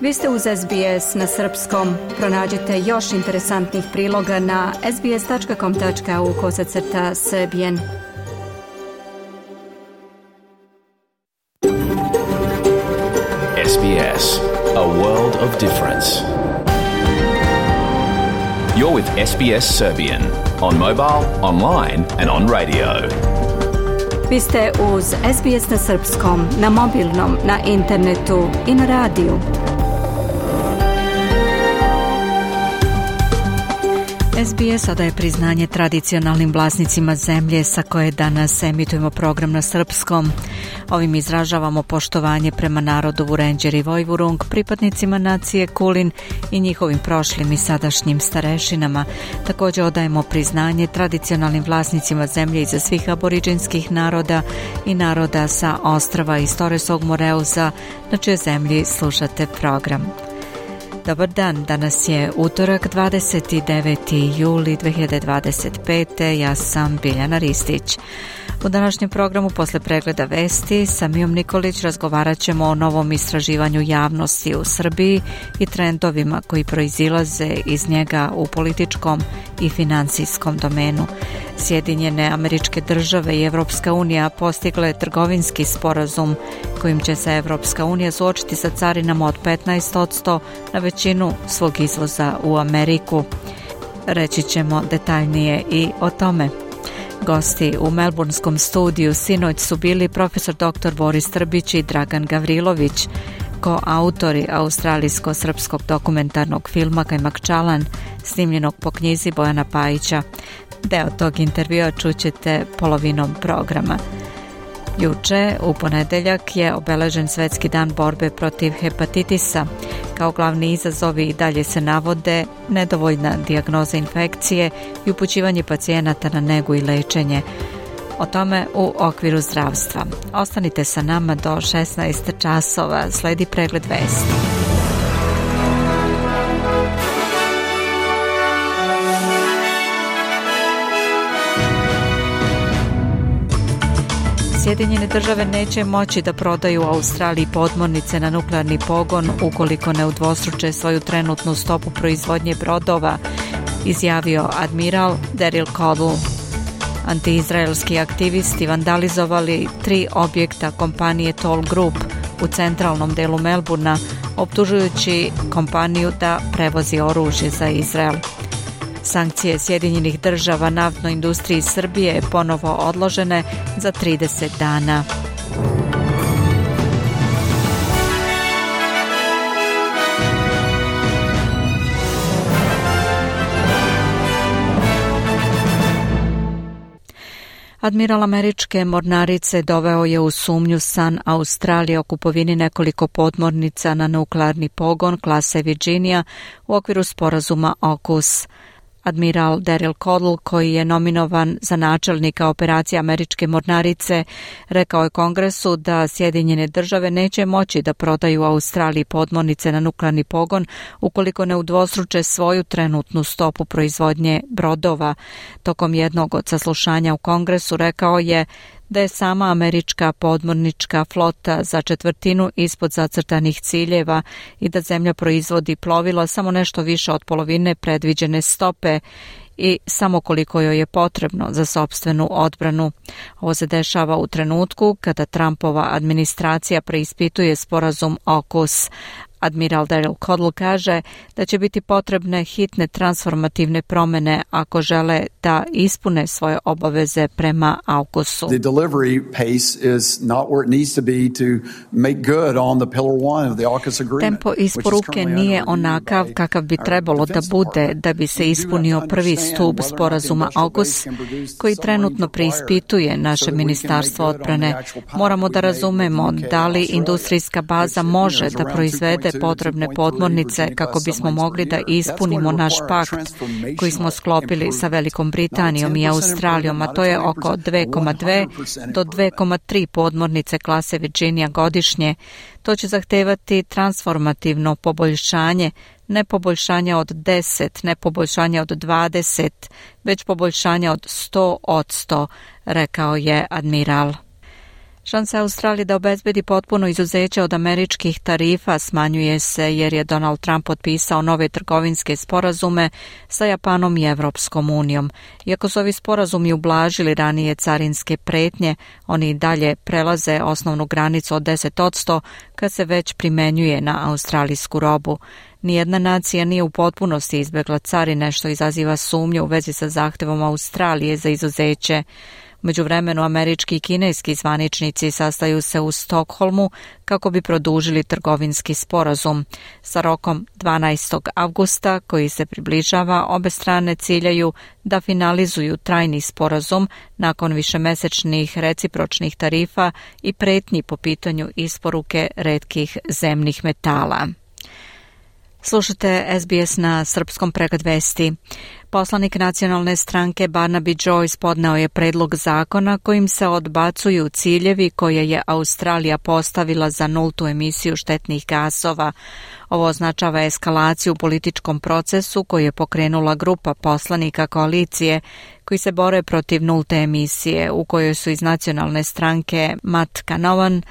Vi ste uz SBS na srpskom. Pronađite još interesantnih priloga na sbs.com.au/srbijen. SBS, a world of difference. You're with SBS Serbian on mobile, online and on radio. Vi ste uz SBS na srpskom, na mobilnom, na internetu i na radiju. SBS odaje priznanje tradicionalnim vlasnicima zemlje sa koje danas emitujemo program na srpskom. Ovim izražavamo poštovanje prema narodu Vurenđer i Vojvurung, pripadnicima nacije Kulin i njihovim prošlim i sadašnjim starešinama. Također odajemo priznanje tradicionalnim vlasnicima zemlje iza svih aboriđinskih naroda i naroda sa ostrava iz Torresog Moreuza, na čijoj zemlji slušate program. Dobar dan, danas je utorak 29. juli 2025. Ja sam Biljana Ristić. U današnjem programu posle pregleda vesti sa Mijom Nikolić razgovarat ćemo o novom istraživanju javnosti u Srbiji i trendovima koji proizilaze iz njega u političkom i financijskom domenu. Sjedinjene Američke Države i Evropska unija postigle trgovinski sporazum kojim će se Evropska unija suočiti sa carinama od 15% na većinu svog izvoza u Ameriku. Reći ćemo detaljnije i o tome. Gosti u melburnskom studiju sinoć su bili profesor dr. Boris Trbić i Dragan Gavrilović, koautori australijsko-srpskog dokumentarnog filma Kajmak Čalan, snimljenog po knjizi Bojana Pajića. Deo tog intervjua čućete polovinom programa. Juče, u ponedeljak, je obeležen Svetski dan borbe protiv hepatitisa. Kao glavni izazovi i dalje se navode nedovoljna dijagnoza infekcije i upućivanje pacijenata na negu i lečenje. O tome u okviru zdravstva. Ostanite sa nama do 16 časova. Sledi pregled vesti. Sjedinjene države neće moći da prodaju Australiji podmornice na nuklearni pogon ukoliko ne udvostruče svoju trenutnu stopu proizvodnje brodova, izjavio admiral Daryl Codle. Antiizraelski aktivisti vandalizovali 3 objekta kompanije Toll Group u centralnom delu Melburna, optužujući kompaniju da prevozi oružje za Izrael. Sankcije Sjedinjenih država naftnoj industriji Srbije ponovo odložene za 30 dana. Admiral američke mornarice doveo je u sumnju san Australije o kupovini nekoliko podmornica na nuklearni pogon klase Virginia u okviru sporazuma AUKUS. Admiral Daryl Codle, koji je nominovan za načelnika operacije američke mornarice, rekao je Kongresu da Sjedinjene države neće moći da prodaju Australiji podmornice na nuklearni pogon ukoliko ne udvostruče svoju trenutnu stopu proizvodnje brodova. Tokom jednog od saslušanja u Kongresu rekao je da je sama američka podmornička flota za 1/4 ispod zacrtanih ciljeva i da zemlja proizvodi plovila samo nešto više od polovine predviđene stope i samo koliko joj je potrebno za sopstvenu odbranu. Ovo se dešava u trenutku kada Trumpova administracija preispituje sporazum AUKUS. Admiral Daryl Codle kaže da će biti potrebne hitne transformativne promene ako žele da ispune svoje obaveze prema AUKUS-u. The delivery pace is not where it needs to be to make good on the pillar 1 of the AUKUS agreement. Tempo isporuke nije onakav kakav bi trebalo da bude da bi se ispunio prvi stub sporazuma AUKUS koji trenutno preispituje naše ministarstvo odbrane. Moramo da razumemo da li industrijska baza može da proizvede potrebne podmornice kako bismo mogli da ispunimo naš pakt koji smo sklopili sa Velikom Britanijom i Australijom, a to je oko 2,2 do 2,3 podmornice klase Virginia godišnje. To će zahtevati transformativno poboljšanje, ne poboljšanja od 10, ne poboljšanja od 20, već poboljšanja od 100%, rekao je admiral. Šansa Australije da obezbedi potpuno izuzeće od američkih tarifa smanjuje se jer je Donald Trump potpisao nove trgovinske sporazume sa Japanom i Evropskom unijom. Iako su ovi sporazumi ublažili ranije carinske pretnje, oni dalje prelaze osnovnu granicu od 10% kad se već primenjuje na australijsku robu. Nijedna nacija nije u potpunosti izbjegla carine, što izaziva sumnju u vezi sa zahtevom Australije za izuzeće. U međuvremenu američki i kineski zvaničnici sastaju se u Stokholmu kako bi produžili trgovinski sporazum. Sa rokom 12. avgusta koji se približava, obe strane ciljaju da finalizuju trajni sporazum nakon višemesečnih recipročnih tarifa i pretnji po pitanju isporuke retkih zemnih metala. Slušate SBS na srpskom pregled vesti. Poslanik nacionalne stranke Barnaby Joyce podneo je predlog zakona kojim se odbacuju ciljevi koje je Australija postavila za nultu emisiju štetnih gasova. Ovo označava eskalaciju u političkom procesu koju je pokrenula grupa poslanika koalicije koji se bore protiv nulte emisije, u kojoj su iz nacionalne stranke Matt Canavan,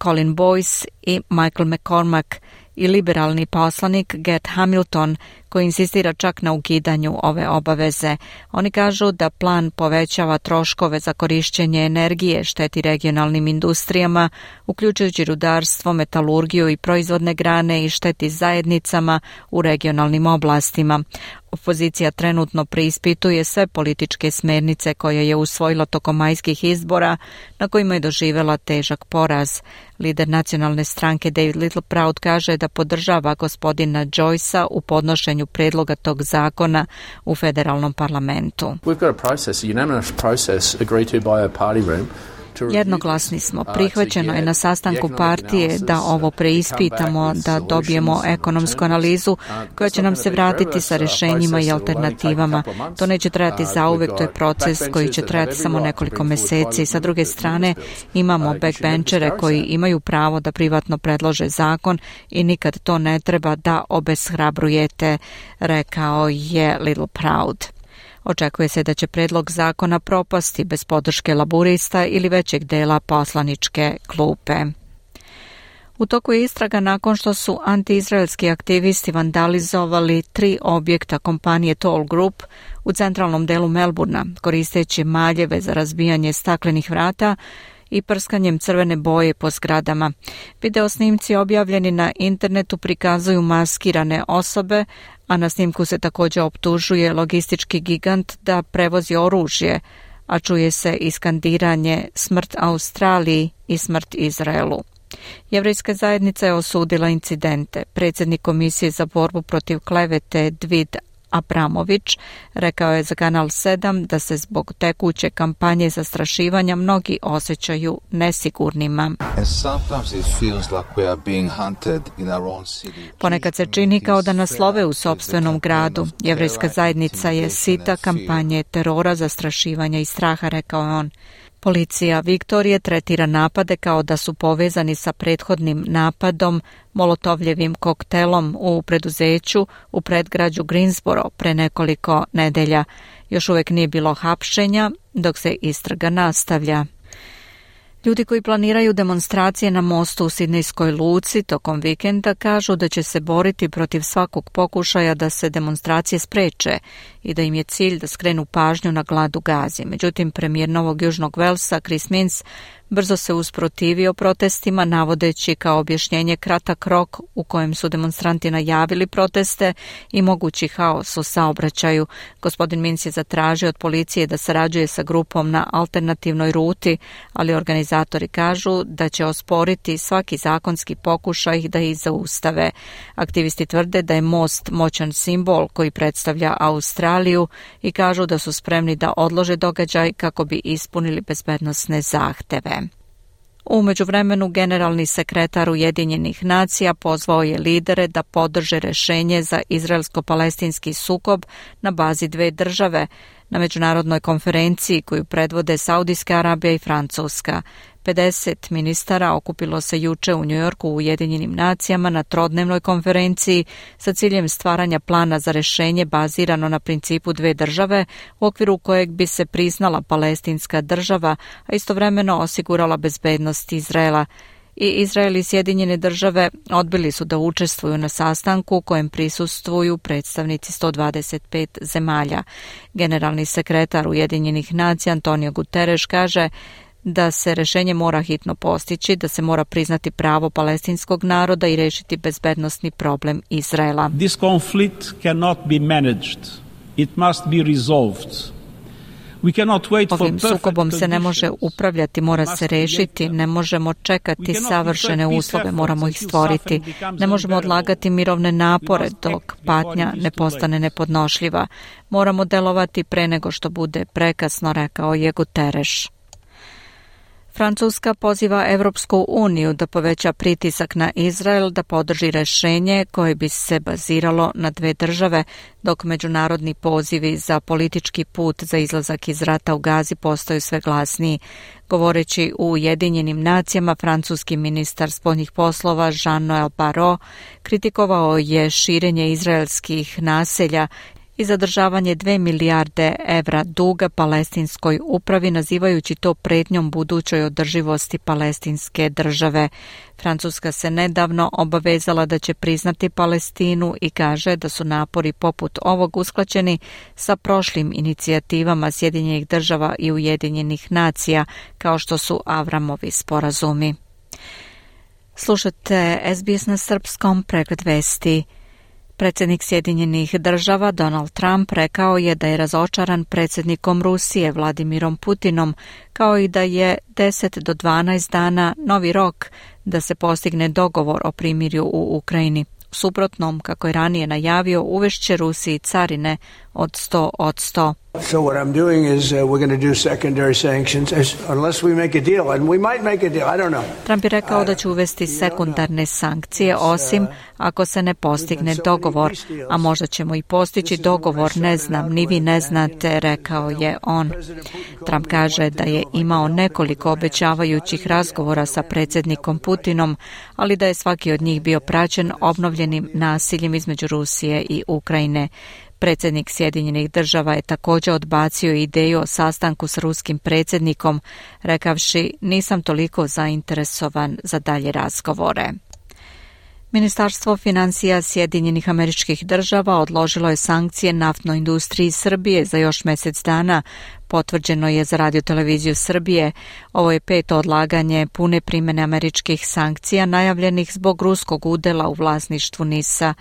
Colin Boyce i Michael McCormack i liberalni poslanik Gert Hamilton, koji insistira čak na ukidanju ove obaveze. Oni kažu da plan povećava troškove za korišćenje energije, šteti regionalnim industrijama, uključujući rudarstvo, metalurgiju i proizvodne grane i šteti zajednicama u regionalnim oblastima. Opozicija trenutno preispituje sve političke smernice koje je usvojila tokom majskih izbora, na kojima je doživjela težak poraz. Lider nacionalne stranke David Littleproud kaže da podržava gospodina Joycea u podnošenju predloga tog zakona u federalnom parlamentu. We've got a process, a unanimous process agreed to by our party room. Jednoglasni smo. Prihvaćeno je na sastanku partije da ovo preispitamo, da dobijemo ekonomsku analizu koja će nam se vratiti sa rješenjima i alternativama. To neće trajati zauvek, to je proces koji će trajati samo nekoliko mjeseci. Sa druge strane, imamo backbenchere koji imaju pravo da privatno predlože zakon i nikad to ne treba da obeshrabrujete, rekao je Littleproud. Očekuje se da će predlog zakona propasti bez podrške laburista ili većeg dela poslaničke klupe. U toku je istraga nakon što su antiizraelski aktivisti vandalizovali 3 objekta kompanije Toll Group u centralnom delu Melburna, koristeći maljeve za razbijanje staklenih vrata i prskanjem crvene boje po zgradama. Video snimci objavljeni na internetu prikazuju maskirane osobe, a na snimku se također optužuje logistički gigant da prevozi oružje, a čuje se iskandiranje smrt Australiji i smrt Izraelu. Jevrejska zajednica je osudila incidente. Predsjednik Komisije za borbu protiv klevete Dvid Abramović rekao je za Kanal 7 da se zbog tekuće kampanje zastrašivanja mnogi osjećaju nesigurnima. Ponekad se čini kao da nas love u sopstvenom gradu. Jevrejska zajednica je sita kampanje terora, zastrašivanja i straha, rekao je on. Policija Viktorije tretira napade kao da su povezani sa prethodnim napadom molotovljevim koktelom u preduzeću u predgrađu Greensboro pre nekoliko nedelja. Još uvijek nije bilo hapšenja, dok se istraga nastavlja. Ljudi koji planiraju demonstracije na mostu u Sidnejskoj luci tokom vikenda kažu da će se boriti protiv svakog pokušaja da se demonstracije spreče i da im je cilj da skrenu pažnju na glad u Gazi. Međutim, premijer Novog Južnog Velsa Chris Minns brzo se usprotivio protestima, navodeći kao objašnjenje kratak rok u kojem su demonstranti najavili proteste i mogući haos u saobraćaju. Gospodin Minns je zatražio od policije da sarađuje sa grupom na alternativnoj ruti, ali organizatori kažu da će osporiti svaki zakonski pokušaj da ih zaustave. Aktivisti tvrde da je most moćan simbol koji predstavlja Australiju i kažu da su spremni da odlože događaj kako bi ispunili bezbednosne zahteve. U međuvremenu generalni sekretar Ujedinjenih nacija pozvao je lidere da podrže rješenje za izraelsko-palestinski sukob na bazi 2 države na međunarodnoj konferenciji koju predvode Saudijska Arabija i Francuska. 50 ministara okupilo se juče u Njujorku u Ujedinjenim nacijama na trodnevnoj konferenciji sa ciljem stvaranja plana za rešenje bazirano na principu dve države u okviru kojeg bi se priznala palestinska država, a istovremeno osigurala bezbednost Izraela. I Izrael i Sjedinjene države odbili su da učestvuju na sastanku kojem prisustvuju predstavnici 125 zemalja. Generalni sekretar Ujedinjenih nacija Antonio Guterres kaže da se rešenje mora hitno postići, da se mora priznati pravo palestinskog naroda i rešiti bezbednosni problem Izraela. This conflict cannot be managed. It must be resolved. Ovim sukobom se ne može upravljati, mora se rešiti, ne možemo čekati savršene uslove, moramo ih stvoriti. Ne možemo odlagati mirovne napore dok patnja ne postane nepodnošljiva. Moramo delovati pre nego što bude prekasno, rekao je Guterres. Francuska poziva Evropsku uniju da poveća pritisak na Izrael da podrži rešenje koje bi se baziralo na dve države, dok međunarodni pozivi za politički put za izlazak iz rata u Gazi postaju sve glasniji. Govoreći u Ujedinjenim nacijama, francuski ministar spoljnih poslova Jean-Noël Barrot kritikovao je širenje izraelskih naselja i zadržavanje 2 milijarde evra duga palestinskoj upravi, nazivajući to pretnjom budućoj održivosti palestinske države. Francuska se nedavno obavezala da će priznati Palestinu i kaže da su napori poput ovog usklađeni sa prošlim inicijativama Sjedinjenih država i Ujedinjenih nacija, kao što su Avramovi sporazumi. Slušate SBS na srpskom, pregled vesti. Predsjednik Sjedinjenih država Donald Trump rekao je da je razočaran predsjednikom Rusije Vladimirom Putinom, kao i da je 10 do 12 dana novi rok da se postigne dogovor o primirju u Ukrajini. U suprotnom, kako je ranije najavio, uvešće Rusiji carine od 100%. So what I'm doing is we're going to do secondary sanctions unless we make a deal, and we might make a deal. I don't know. Trump je rekao da će uvesti sekundarne sankcije osim ako se ne postigne dogovor, a možda ćemo i postići dogovor, ne znam, ni vi ne znate, rekao je on. Trump kaže da je imao nekoliko obećavajućih razgovora sa predsjednikom Putinom, ali da je svaki od njih bio praćen obnovljenim nasiljem između Rusije i Ukrajine. Predsjednik Sjedinjenih država je također odbacio ideju o sastanku s ruskim predsjednikom, rekavši nisam toliko zainteresovan za dalje razgovore. Ministarstvo financija Sjedinjenih Američkih Država odložilo je sankcije naftnoj industriji Srbije za još mjesec dana, potvrđeno je za Radio-televiziju Srbije. Ovo je 5. odlaganje pune primjene američkih sankcija najavljenih zbog ruskog udela u vlasništvu NIS-a.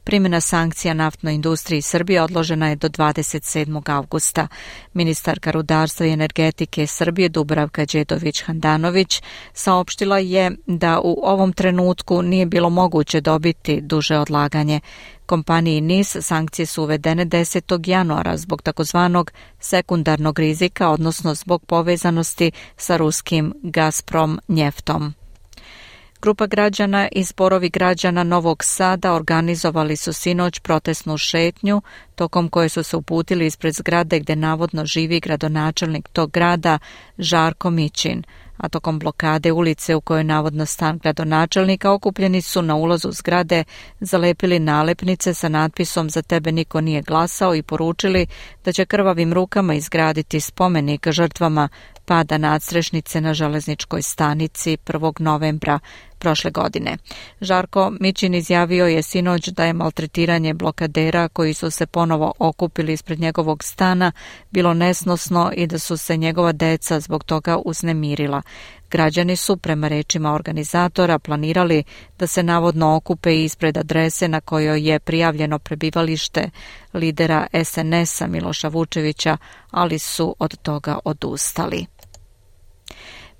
Primjena sankcija naftnoj industriji Srbije odložena je do 27. avgusta. Ministarka rudarstva i energetike Srbije Dubravka Đedović-Handanović saopštila je da u ovom trenutku nije bilo moguće dobiti duže odlaganje. Kompaniji NIS sankcije su uvedene 10. januara zbog takozvanog sekundarnog rizika, odnosno zbog povezanosti sa ruskim Gazprom njeftom. Grupa građana i zborovi građana Novog Sada organizovali su sinoć protestnu šetnju, tokom koje su se uputili ispred zgrade gdje navodno živi gradonačelnik tog grada Žarko Mićin, a tokom blokade ulice u kojoj navodno stan gradonačelnika okupljeni su na ulazu zgrade zalepili nalepnice sa natpisom Za tebe niko nije glasao i poručili da će krvavim rukama izgraditi spomenik žrtvama pada nadstrešnice na železničkoj stanici 1. novembra prošle godine. Žarko Mićin izjavio je sinoć da je maltretiranje blokadera koji su se ponovo okupili ispred njegovog stana bilo nesnosno i da su se njegova deca zbog toga uznemirila. Građani su, prema rečima organizatora, planirali da se navodno okupe ispred adrese na kojoj je prijavljeno prebivalište lidera SNS-a Miloša Vučevića, ali su od toga odustali.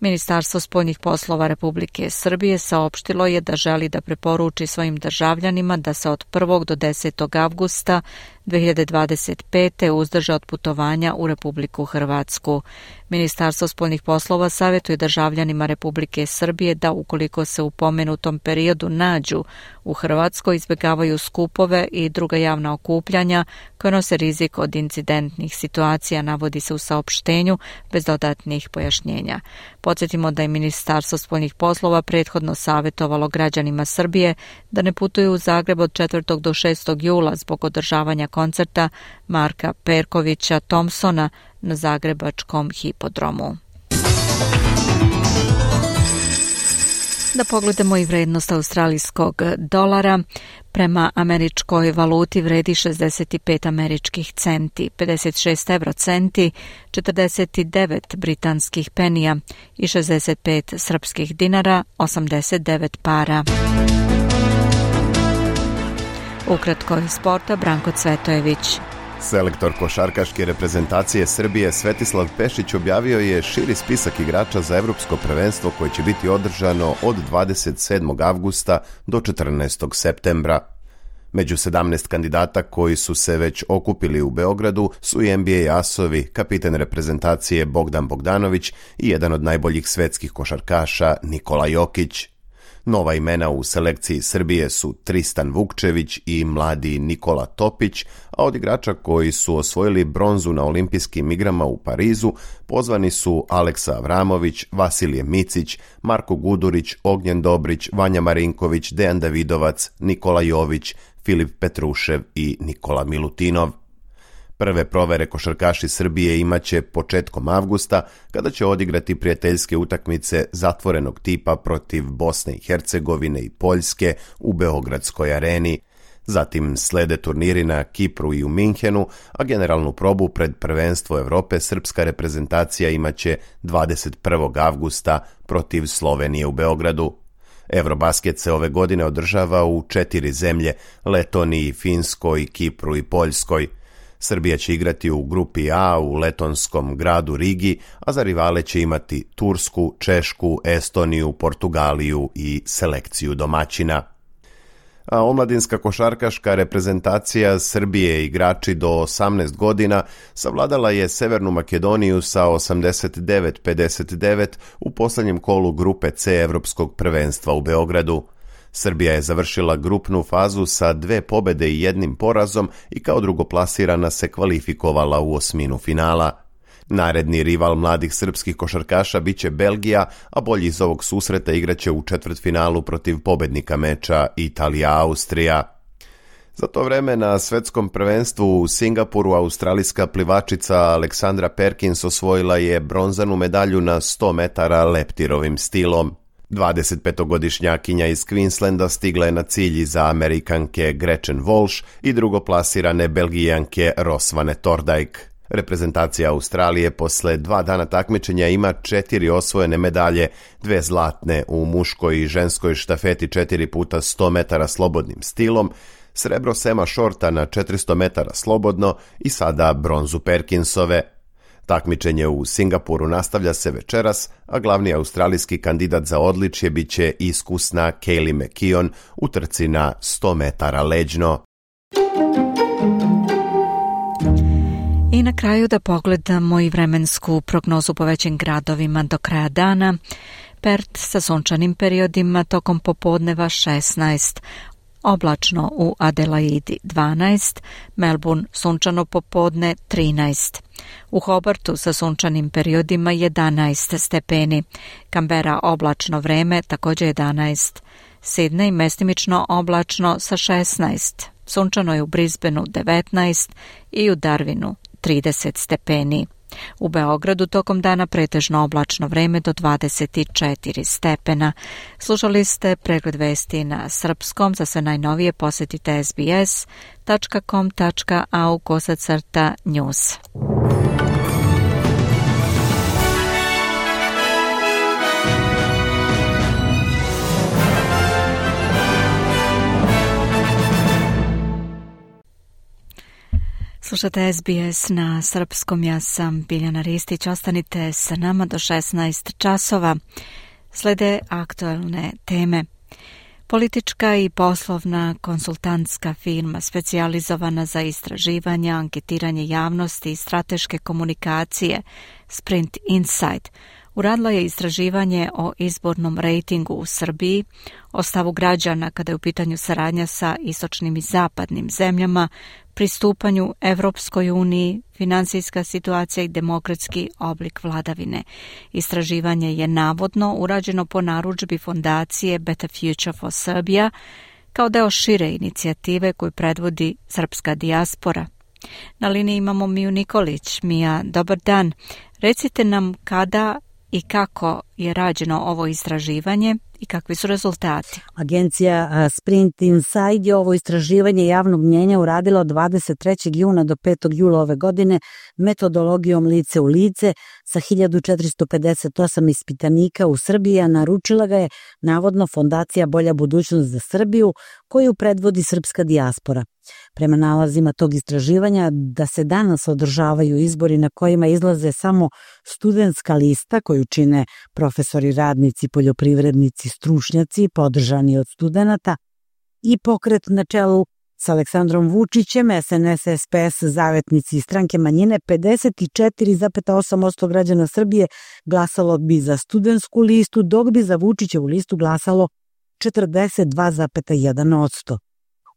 Ministarstvo spoljnih poslova Republike Srbije saopštilo je da želi da preporuči svojim državljanima da se od 1. do 10. avgusta 2025. uzdrže od putovanja u Republiku Hrvatsku. Ministarstvo spoljnih poslova savjetuje državljanima Republike Srbije da ukoliko se u pomenutom periodu nađu U Hrvatskoj izbjegavaju skupove i druga javna okupljanja koje nose rizik od incidentnih situacija, navodi se u saopštenju bez dodatnih pojašnjenja. Podsjetimo da je Ministarstvo spoljnih poslova prethodno savjetovalo građanima Srbije da ne putuju u Zagreb od 4. do 6. jula zbog održavanja koncerta Marka Perkovića Thompsona na zagrebačkom hipodromu. Da pogledamo i vrednost australijskog dolara. Prema američkoj valuti vredi 65 američkih centi, 56 eurocenti, 49 britanskih penija i 65 srpskih dinara, 89 para. Ukratko iz sporta, Branko Cvetojević. Selektor košarkaške reprezentacije Srbije Svetislav Pešić objavio je širi spisak igrača za evropsko prvenstvo koje će biti održano od 27. avgusta do 14. septembra. Među 17 kandidata koji su se već okupili u Beogradu su i NBA asovi, kapiten reprezentacije Bogdan Bogdanović i jedan od najboljih svetskih košarkaša Nikola Jokić. Nova imena u selekciji Srbije su Tristan Vukčević i mladi Nikola Topić, a od igrača koji su osvojili bronzu na olimpijskim igrama u Parizu pozvani su Aleksa Avramović, Vasilije Micić, Marko Gudurić, Ognjen Dobrić, Vanja Marinković, Dejan Davidovac, Nikola Jović, Filip Petrušev i Nikola Milutinov. Prve provere košarkaši Srbije imaće početkom avgusta, kada će odigrati prijateljske utakmice zatvorenog tipa protiv Bosne i Hercegovine i Poljske u Beogradskoj areni. Zatim slede turniri na Kipru i u Minhenu, a generalnu probu pred prvenstvo Evrope srpska reprezentacija imaće 21. avgusta protiv Slovenije u Beogradu. Eurobasket se ove godine održava u 4 zemlje, Letoniji, Finskoj, Kipru i Poljskoj. Srbija će igrati u grupi A u letonskom gradu Rigi, a za rivale će imati Tursku, Češku, Estoniju, Portugaliju i selekciju domaćina. A omladinska košarkaška reprezentacija Srbije igrači do 18 godina savladala je Severnu Makedoniju sa 89-59 u posljednjem kolu grupe C Evropskog prvenstva u Beogradu. Srbija je završila grupnu fazu sa 2 pobjede i 1 porazom i kao drugoplasirana se kvalifikovala u osminu finala. Naredni rival mladih srpskih košarkaša biće Belgija, a bolji iz ovog susreta igraće u četvrtfinalu protiv pobednika meča Italija-Austrija. Za to vreme na svetskom prvenstvu u Singapuru australijska plivačica Aleksandra Perkins osvojila je bronzanu medalju na 100 metara leptirovim stilom. 25-godišnjakinja iz Queenslanda stigla je na cilj iza Amerikanke Gretchen Walsh i drugoplasirane Belgijanke Rosvane Tordijk. Reprezentacija Australije posle 2 dana takmičenja ima 4 osvojene medalje, 2 zlatne u muškoj i ženskoj štafeti 4 puta 100 metara slobodnim stilom, srebro Sema Shorta na 400 metara slobodno i sada bronzu Perkinsove. Takmičenje u Singapuru nastavlja se večeras, a glavni australijski kandidat za odličje biće iskusna Kaylee McKeon u trci na 100 metara leđno. I na kraju da pogledamo i vremensku prognozu po većim gradovima do kraja dana. Perth sa sunčanim periodima tokom popodneva 16, oblačno u Adelaidi 12, Melbourne sunčano popodne 13. U Hobartu sa sunčanim periodima 11 stepeni, Canberra oblačno vreme također 11, Sydney mestimično oblačno sa 16, sunčano je u Brisbaneu 19 i u Darwinu 30 stepeni. U Beogradu tokom dana pretežno oblačno vreme do 24 stepena. Slušali ste pregled vesti na srpskom. Za sve najnovije posjetite sbs.com.au/news. Slušate SBS na srpskom, ja sam Biljana Ristić. Ostanite sa nama do 16 časova. Slede aktualne teme. Politička i poslovna konsultantska firma specijalizovana za istraživanja, anketiranje javnosti i strateške komunikacije Sprint Insight uradila je istraživanje o izbornom rejtingu u Srbiji, o stavu građana kada je u pitanju saradnja sa istočnim i zapadnim zemljama, pristupanju Evropskoj uniji, finansijska situacija i demokratski oblik vladavine. Istraživanje je navodno urađeno po narudžbi fondacije Better Future for Serbia kao deo šire inicijative koju predvodi srpska dijaspora. Na liniji imamo Miju Nikolić. Mija, dobar dan. Recite nam kada i kako je rađeno ovo istraživanje i kakvi su rezultati. Agencija Sprint Inside je ovo istraživanje javnog mnjenja uradila od 23. juna do 5. jula ove godine metodologijom lice u lice sa 1458 ispitanika u Srbiji, a naručila ga je navodno Fondacija Bolja budućnost za Srbiju, koju predvodi srpska dijaspora. Prema nalazima tog istraživanja da se danas održavaju izbori na kojima izlaze samo studentska lista koju čine profesori, radnici, poljoprivrednici, stručnjaci podržani od studenata i pokret na čelu sa Aleksandrom Vučićem, SNS, SPS, zavetnici i stranke manjine, 54,8% građana Srbije glasalo bi za studentsku listu, dok bi za Vučićevu listu glasalo 42,1%.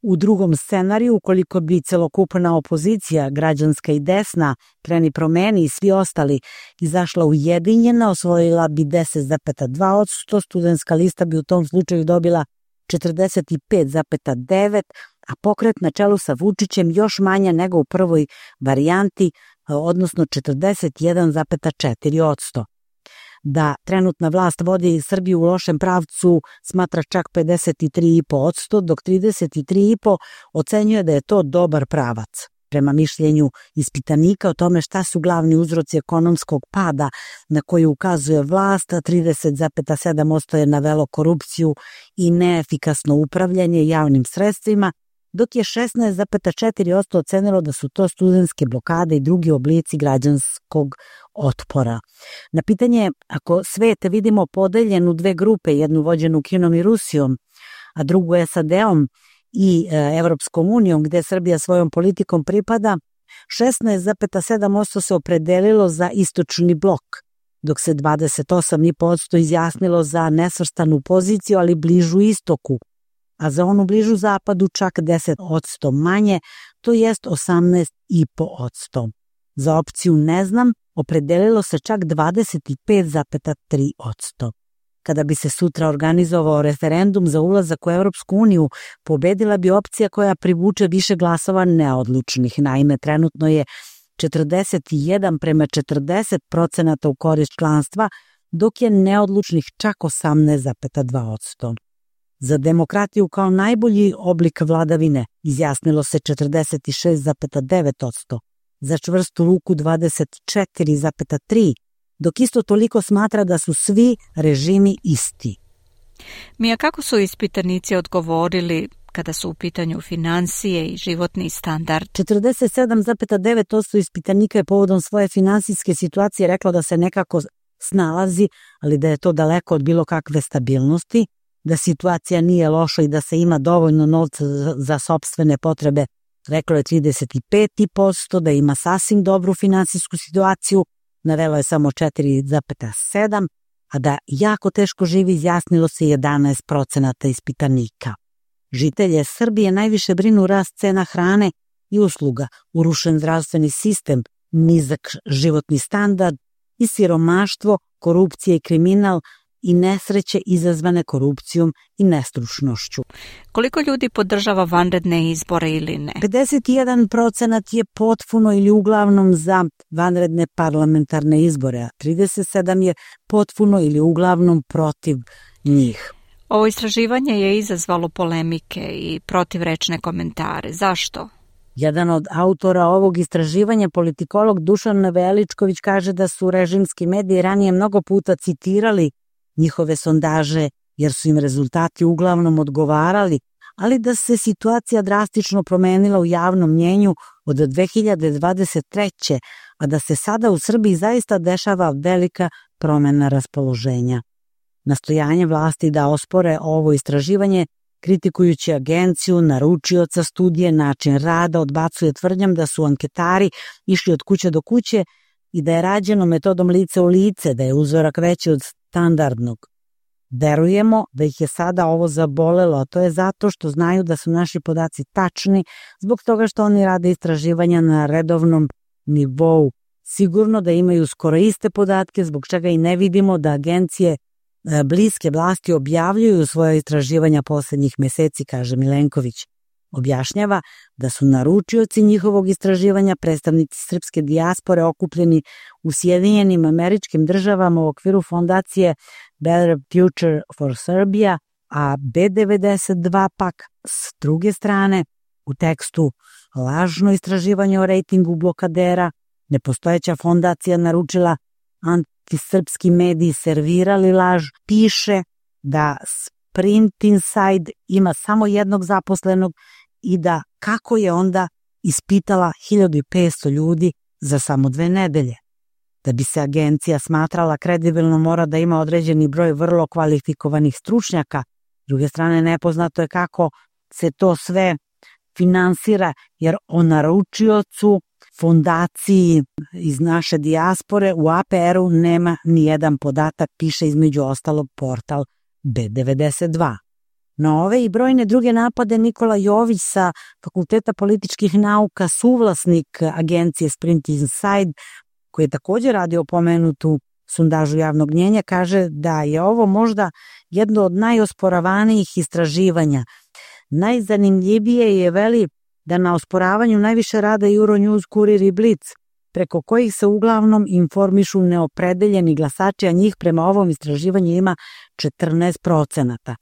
U drugom scenariju, ukoliko bi celokupna opozicija, građanska i desna, Kreni promeni i svi ostali, izašla ujedinjena, osvojila bi 10,2%, studentska lista bi u tom slučaju dobila 45,9%, a pokret na čelu sa Vučićem još manja nego u prvoj varijanti, odnosno 41,4%. Da trenutna vlast vodi Srbiju u lošem pravcu smatra čak 53,5%, dok 33,5% ocenjuje da je to dobar pravac. Prema mišljenju ispitanika o tome šta su glavni uzroci ekonomskog pada na koji ukazuje vlast, 30,7% je navelo korupciju i neefikasno upravljanje javnim sredstvima, dok je 16,4% ocenilo da su to studentske blokade i drugi oblici građanskog otpora. Na pitanje, ako svet vidimo podeljen u dve grupe, jednu vođenu Kinom i Rusijom, a drugu SAD-om i Evropskom unijom, gde Srbija svojom politikom pripada, 16,7% se opredelilo za istočni blok, dok se 28,5% izjasnilo za nesvrstanu poziciju, ali bližu istoku, a za onu bližu zapadu čak 10% manje, to jest 18,5%. Za opciju ne znam opredelilo se čak 25,3%. Kada bi se sutra organizovao referendum za ulazak u Evropsku uniju, pobedila bi opcija koja privuče više glasova neodlučnih. Naime, trenutno je 41:40% u korist članstva, dok je neodlučnih čak 18,2%. Za demokratiju kao najbolji oblik vladavine izjasnilo se 46,9%, za čvrstu ruku 24,3%, dok isto toliko smatra da su svi režimi isti. Mija, kako su ispitanici odgovorili kada su u pitanju finansije i životni standard? 47,9% ispitanika je povodom svoje finansijske situacije reklo da se nekako snalazi, ali da je to daleko od bilo kakve stabilnosti, da situacija nije loša i da se ima dovoljno novca za sopstvene potrebe, reklo je 35%, da ima sasvim dobru finansijsku situaciju, navelo je samo 4,7%, a da jako teško živi izjasnilo se 11% ispitanika. Žitelje Srbije najviše brinu rast cena hrane i usluga, urušen zdravstveni sistem, nizak životni standard i siromaštvo, korupcija i kriminal i nesreće izazvane korupcijom i nestručnošću. Koliko ljudi podržava vanredne izbore ili ne? 51% je potpuno ili uglavnom za vanredne parlamentarne izbore, a 37% je potpuno ili uglavnom protiv njih. Ovo istraživanje je izazvalo polemike i protivrečne komentare. Zašto? Jedan od autora ovog istraživanja, politikolog Dušan Veličković, kaže da su režimski mediji ranije mnogo puta citirali njihove sondaže jer su im rezultati uglavnom odgovarali, ali da se situacija drastično promenila u javnom mnjenju od 2023. a da se sada u Srbiji zaista dešava velika promena raspoloženja. Nastojanje vlasti da ospore ovo istraživanje, kritikujući agenciju, naručioca studije, način rada, odbacuje tvrdnjom da su anketari išli od kuće do kuće, i da je rađeno metodom lice u lice, da je uzorak veći od standardnog. Verujemo da ih je sada ovo zabolelo, a to je zato što znaju da su naši podaci tačni, zbog toga što oni rade istraživanja na redovnom nivou. Sigurno da imaju skoro iste podatke, zbog čega i ne vidimo da agencije bliske vlasti objavljuju svoje istraživanja poslednjih meseci, kaže Milenković. Objašnjava da su naručioci njihovog istraživanja predstavnici srpske dijaspore okupljeni u Sjedinjenim Američkim Državama u okviru fondacije Better Future for Serbia, a B92 pak s druge strane u tekstu lažno istraživanje o rejtingu blokadera, nepostojeća fondacija naručila antisrpski mediji servirali laž, piše da Sprint Inside ima samo jednog zaposlenog i da kako je onda ispitala 1500 ljudi za samo 2 nedelje. Da bi se agencija smatrala kredibilno mora da ima određeni broj vrlo kvalifikovanih stručnjaka. S druge strane, nepoznato je kako se to sve finansira, jer o naručiocu fondaciji iz naše dijaspore u APR-u nema ni jedan podatak, piše između ostalog portal B92. Na ove i brojne druge napade Nikola Jović sa Fakulteta političkih nauka, suvlasnik agencije Sprint Inside, koji je također radio pomenutu sondažu javnog mnjenja, kaže da je ovo možda jedno od najosporavanijih istraživanja. Najzanimljivije je, veli, da na osporavanju najviše rade Euronews, Kurir i Blic, preko kojih se uglavnom informišu neopredeljeni glasači, a njih prema ovom istraživanju ima 14%.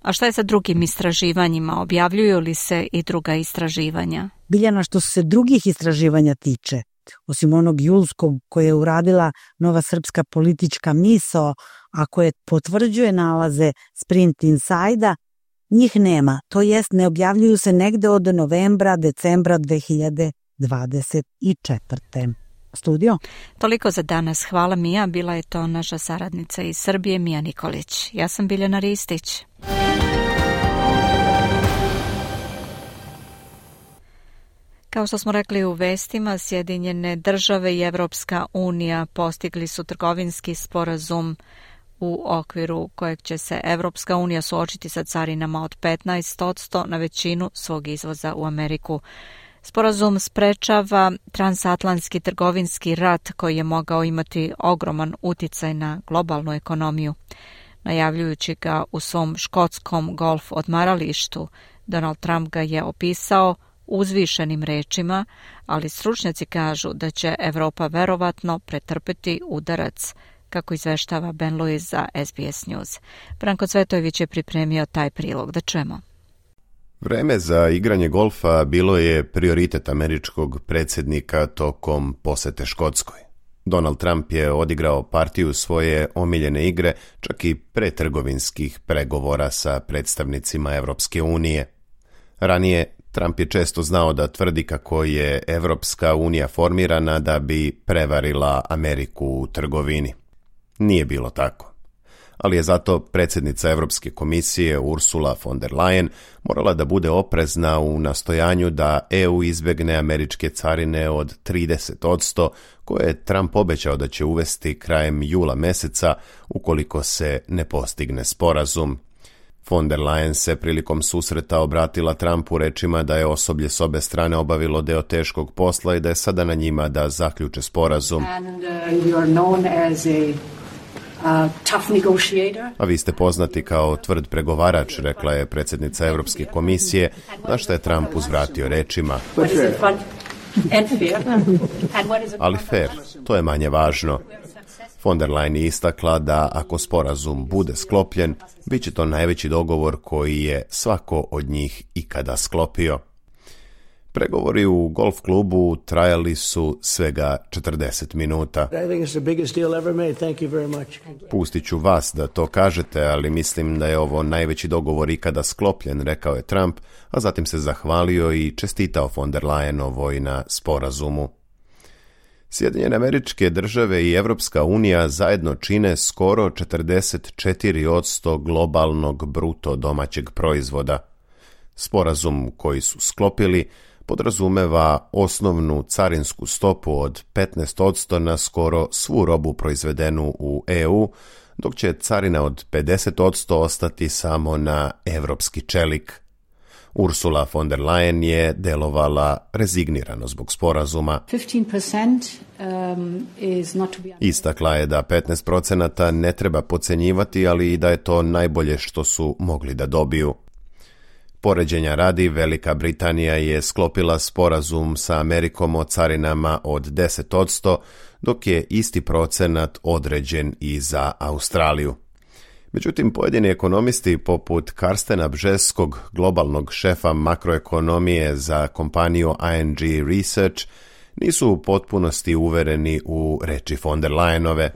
A šta je sa drugim istraživanjima? Objavljuju li se i druga istraživanja? Biljana, što se drugih istraživanja tiče, osim onog julskog koje je uradila Nova srpska politička misao, a koje potvrđuje nalaze Sprint Inside-a, njih nema, to jest ne objavljuju se negde od novembra, decembra 2024. Studio? Toliko za danas. Hvala Mija, bila je to naša saradnica iz Srbije, Mija Nikolić. Ja sam Biljana Ristić. Kao što smo rekli u vestima, Sjedinjene države i Evropska unija postigli su trgovinski sporazum u okviru kojeg će se Evropska unija suočiti sa carinama od 15% na većinu svog izvoza u Ameriku. Sporazum sprečava transatlantski trgovinski rat koji je mogao imati ogroman uticaj na globalnu ekonomiju. Najavljujući ga u svom škotskom golf odmaralištu, Donald Trump ga je opisao uzvišenim rečima, ali stručnjaci kažu da će Evropa verovatno pretrpeti udarac, kako izveštava Ben Lewis za SBS News. Branko Cvetojević je pripremio taj prilog. Da čujemo. Vreme za igranje golfa bilo je prioritet američkog predsjednika tokom posete Škotskoj. Donald Trump je odigrao partiju svoje omiljene igre čak i pre trgovinskih pregovora sa predstavnicima Evropske unije. Ranije Trump je često znao da tvrdi kako je Evropska unija formirana da bi prevarila Ameriku u trgovini. Nije bilo tako. Ali je zato predsjednica Europske komisije Ursula von der Leyen morala da bude oprezna u nastojanju da EU izbegne američke carine od 30%, koje je Trump obećao da će uvesti krajem jula meseca ukoliko se ne postigne sporazum. Von der Leyen se prilikom susreta obratila Trumpu rečima da je osoblje s obe strane obavilo deo teškog posla i da je sada na njima da zaključe sporazum. A vi ste poznati kao tvrd pregovarač, rekla je predsjednica Europske komisije, na što je Trump uzvratio rečima. Ali fair, to je manje važno. Von der Leyen je istakla da ako sporazum bude sklopljen, bit će to najveći dogovor koji je svako od njih ikada sklopio. Pregovori u golf klubu trajali su svega 40 minuta. Pustit ću vas da to kažete, ali mislim da je ovo najveći dogovor ikada sklopljen, rekao je Trump, a zatim se zahvalio i čestitao von der Leyenovoj na sporazumu. Sjedinjene Američke Države i Evropska unija zajedno čine skoro 44% globalnog bruto domaćeg proizvoda. Sporazum koji su sklopili podrazumeva osnovnu carinsku stopu od 15% na skoro svu robu proizvedenu u EU, dok će carina od 50% ostati samo na evropski čelik. Ursula von der Leyen je delovala rezignirano zbog sporazuma. 15% Istakla je da 15% ne treba podcenjivati, ali i da je to najbolje što su mogli da dobiju. Poređenja radi, Velika Britanija je sklopila sporazum sa Amerikom o carinama od 10%, dok je isti procenat određen i za Australiju. Međutim, pojedini ekonomisti poput Karstena Bžeskog, globalnog šefa makroekonomije za kompaniju ING Research, nisu u potpunosti uvereni u reči von der Leyenove.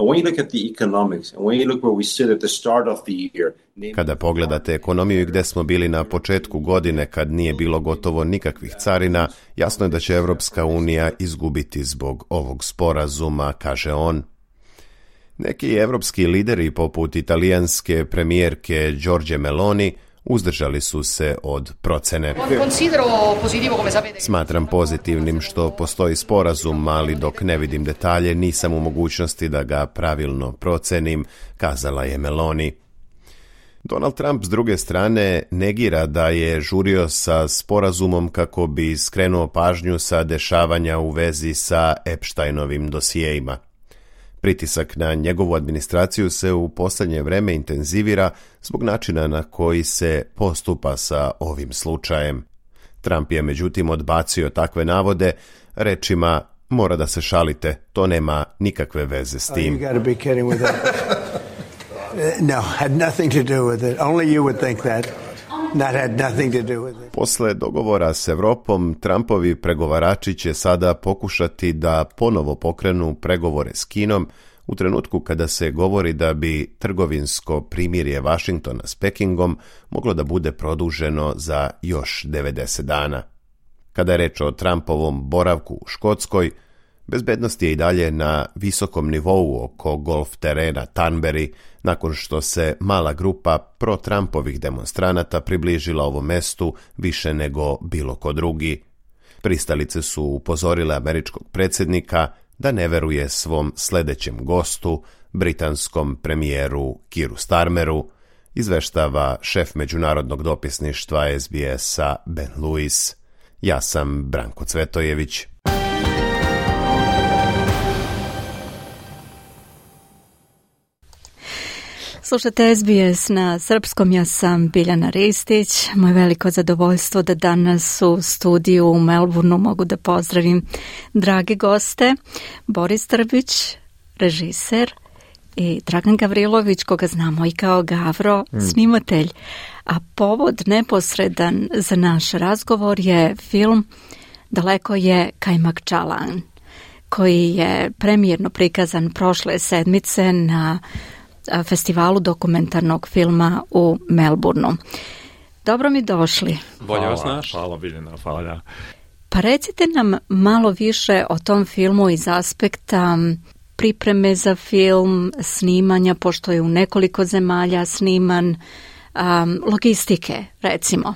Kada pogledate ekonomiju i gde smo bili na početku godine kad nije bilo gotovo nikakvih carina, jasno je da će Evropska unija izgubiti zbog ovog sporazuma, kaže on. Neki evropski lideri poput italijanske premijerke Giorgie Meloni uzdržali su se od procene. Smatram pozitivnim što postoji sporazum, ali dok ne vidim detalje nisam u mogućnosti da ga pravilno procenim, kazala je Meloni. Donald Trump s druge strane negira da je žurio sa sporazumom kako bi skrenuo pažnju sa dešavanja u vezi sa Epsteinovim dosijeima. Pritisak na njegovu administraciju se u posljednje vreme intenzivira zbog načina na koji se postupa sa ovim slučajem. Trump je međutim odbacio takve navode rečima: mora da se šalite, to nema nikakve veze s tim. No, had nothing to do with it. Only you would think that. That had nothing to do with it. Posle dogovora s Evropom, Trumpovi pregovarači će sada pokušati da ponovo pokrenu pregovore s Kinom u trenutku kada se govori da bi trgovinsko primirje Vašingtona s Pekingom moglo da bude produženo za još 90 dana. Kada je reč o Trumpovom boravku u Škotskoj, bezbednost je i dalje na visokom nivou oko golf terena Thornbury, nakon što se mala grupa pro-Trumpovih demonstranata približila ovom mestu više nego bilo ko drugi. Pristalice su upozorile američkog predsjednika da ne veruje svom sledećem gostu, britanskom premijeru Keeru Starmeru, izveštava šef međunarodnog dopisništva SBS-a Ben Lewis. Ja sam Branko Cvetojević. Slušate SBS na srpskom, ja sam Biljana Ristić. Moje veliko zadovoljstvo da danas u studiju u Melbourneu mogu da pozdravim drage goste. Boris Trbić, režiser, i Dragan Gavrilović, koga znamo i kao Gavro, snimatelj. A povod neposredan za naš razgovor je film Daleko je Kajmak Čalan, koji je premijerno prikazan prošle sedmice na festivalu dokumentarnog filma u Melbourneu. Dobro mi došli. Bolje vas naš. Hvala Biljana, hvala. Pa recite nam malo više o tom filmu iz aspekta pripreme za film, snimanja, pošto je u nekoliko zemalja sniman, logistike, recimo.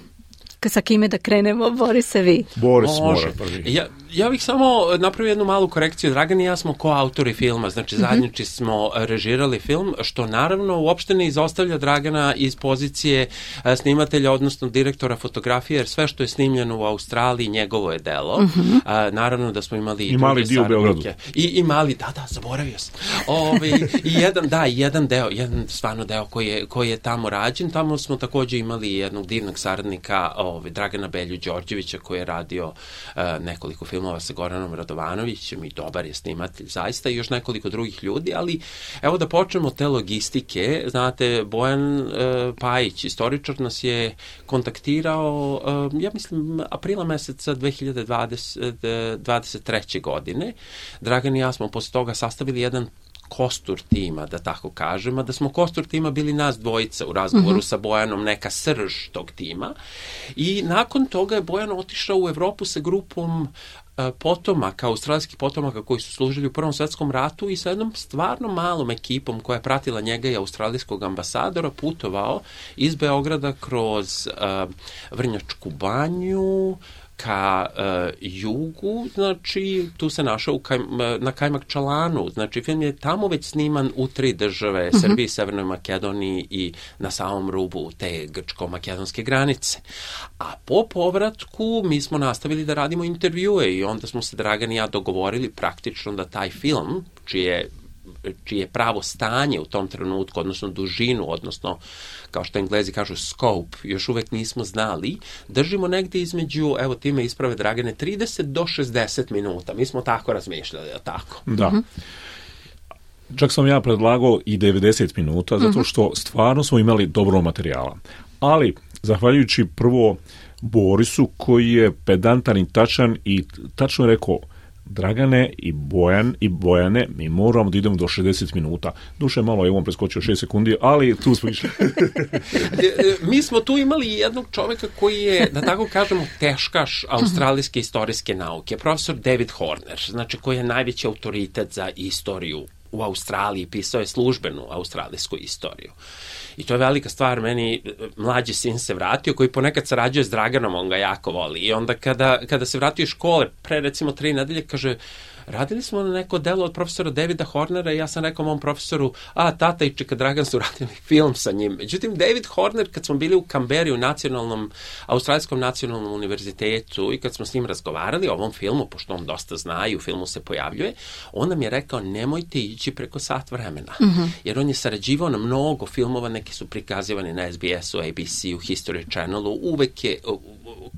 Sa kime da krenemo, Borise, vi? Boris mora prvi. Ja bih samo napravio jednu malu korekciju. Dragan i ja smo koautori filma, znači zajednički smo režirali film, što naravno uopšte ne izostavlja Dragana iz pozicije snimatelja, odnosno direktora fotografije, jer sve što je snimljeno u Australiji njegovo je delo. Naravno da smo imali i mali dio u Beogradu. I mali, da, zaboravio sam. Jedan stvarno deo koji je tamo rađen. Tamo smo također imali jednog divnog saradnika, Dragana Belju Đorđevića, koji je radio nekoliko filmova sa Goranom Radovanovićem i dobar je snimatelj zaista, i još nekoliko drugih ljudi, ali evo da počnemo te logistike. Znate, Bojan Pajić, istoričar, nas je kontaktirao, ja mislim, aprila meseca 2023. godine. Dragan i ja smo posle toga sastavili jedan kostur tima, da tako kažem, a da smo kostur tima bili nas dvojica u razgovoru sa Bojanom, neka srž tog tima. I nakon toga je Bojan otišao u Evropu sa grupom potomaka, australijskih potomaka koji su služili u Prvom svetskom ratu i sa jednom stvarno malom ekipom koja je pratila njega i australijskog ambasadora putovao iz Beograda kroz Vrnjačku banju, ka jugu, znači tu se našao na Kajmakčalanu, znači film je tamo već sniman u 3 države, Srbiji, Severnoj Makedoniji i na samom rubu te grčko-makedonske granice. A po povratku mi smo nastavili da radimo intervjue i onda smo se Dragan i ja dogovorili praktično da taj film, čije pravo stanje u tom trenutku, odnosno dužinu, odnosno, kao što Englezi kažu, scope, još uvek nismo znali, držimo negde između, evo ti me isprave Dragane, 30 do 60 minuta. Mi smo tako razmišljali, je tako? Da. Čak sam ja predlagao i 90 minuta, zato što stvarno smo imali dobro materijala. Ali, zahvaljujući prvo Borisu, koji je pedantan i tačan i tačno je rekao, Dragane i Bojane, mi moramo da idemo do 60 minuta. Duše malo je on preskočio 6 sekundi, ali tu smo išli. Mi smo tu imali jednog čoveka koji je, da tako kažemo, teškaš australijske istorijske nauke, profesor David Horner, znači koji je najveći autoritet za istoriju u Australiji, pisao je službenu australijsku istoriju. I to je velika stvar, meni mlađi sin se vratio, koji ponekad sarađuje s Draganom, on ga jako voli. I onda kada se vratio iz škole, pre recimo 3 nedelje, kaže, radili smo na neko delo od profesora Davida Hornera i ja sam rekao mom profesoru, tata i čeka Dragan su radili film sa njim. Međutim, David Horner, kad smo bili u Kamberi u Australijskom nacionalnom univerzitetu i kad smo s njim razgovarali o ovom filmu, pošto on dosta zna i u filmu se pojavljuje, on nam je rekao, nemojte ići preko sat vremena. Jer on je sarađivao na mnogo filmova, neki su prikazivani na SBS-u, ABC-u, History Channelu, uvek je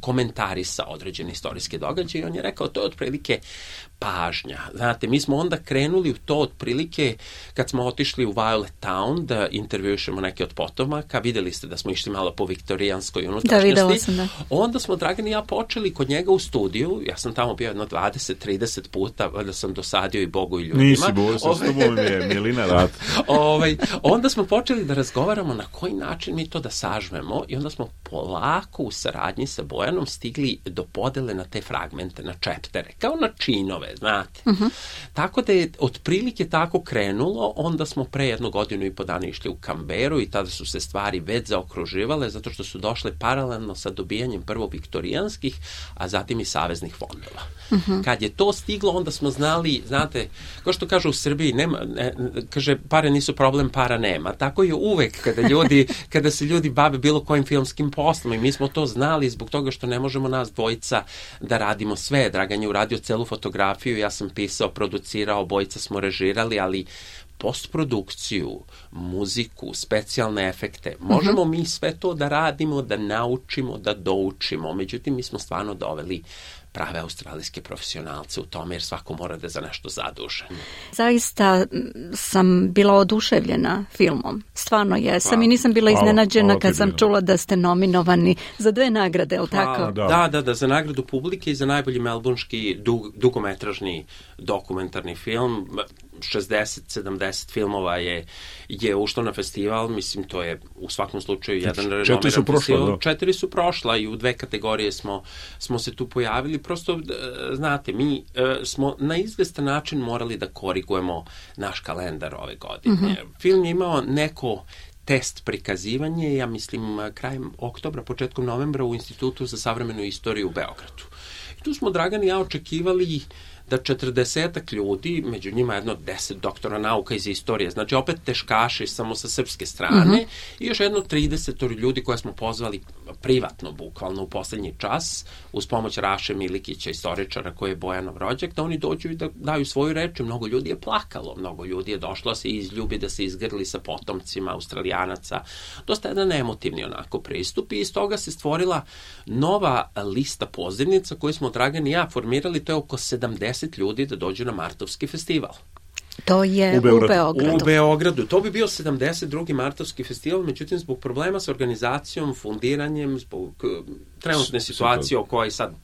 komentarisa određene istorijske događaje i on je rekao, to je otprilike pažnja. Znate, mi smo onda krenuli u to otprilike kad smo otišli u Violet Town da intervjušemo neke od potomaka, videli ste da smo išli malo po viktorijanskoj unutrašnjosti. Da, videla sam, da. Onda smo Dragan i ja počeli kod njega u studiju, ja sam tamo bio jedno 20-30 puta, valjda sam dosadio i Bogu i ljudima. Nisi, Bogu, sa tobom je Milina rad. Onda smo počeli da razgovaramo na koji način mi to da sažmemo i onda smo polako u saradnji sa Bojanom stigli do podele na te fragmente, na chaptere, kao na činove, znate. Tako da je otprilike tako krenulo, onda smo pre 1 godinu i po dana išli u Kamberu i tada su se stvari već zaokruživale zato što su došle paralelno sa dobijanjem prvo viktorijanskih, a zatim i saveznih fondova. Kad je to stiglo, onda smo znali, znate, kao što kažu u Srbiji, kaže, pare nisu problem, para nema. Tako je uvek kada se ljudi bave bilo kojim filmskim poslom i mi smo to znali zbog toga što ne možemo nas dvojica da radimo sve. Dragan je uradio celu fotografiju, ja sam pisao, producirao, obojica smo režirali, ali postprodukciju, muziku, specijalne efekte, možemo mi sve to da radimo, da naučimo, da doučimo. Međutim, mi smo stvarno doveli prave australijske profesionalce u tome, jer svako mora da je za nešto zadužen. Zaista sam bila oduševljena filmom. Stvarno jesam i nisam bila iznenađena kad sam čula da ste nominovani za 2 nagrade, je li tako? Da, za nagradu publike i za najbolji melbourneški dugometražni dokumentarni film. 60-70 filmova je ušlo na festival, mislim to je u svakom slučaju jedan renomiran festival. 4 su prošla i u 2 kategorije smo se tu pojavili. Prosto, znate, mi smo na izvestan način morali da korigujemo naš kalendar ove godine. Film je imao neko test prikazivanje, ja mislim krajem oktobra, početkom novembra u Institutu za savremenu istoriju u Beogradu. I tu smo Dragan i ja očekivali da 40 ljudi, među njima jedno 10 doktora nauka iz istorije, znači opet teškaši samo sa srpske strane i još jedno 30 ljudi koje smo pozvali privatno, bukvalno u poslednji čas, uz pomoć Raše Milikića, istoričara koji je Bojanov rođak, da oni dođu i da daju svoju reč. Mnogo ljudi je plakalo, mnogo ljudi je došlo se izljubi, da se izgrli sa potomcima Australijanaca. Dosta jedan emotivni onako pristup i iz toga se stvorila nova lista pozivnica koju smo Dragan i ja formirali, to je oko 70 ljudi da dođu na Martovski festival. To je u Beogradu. U Beogradu. To bi bio 72. Martovski festival, međutim zbog problema sa organizacijom, fundiranjem, zbog trenutne situacije o kojoj sad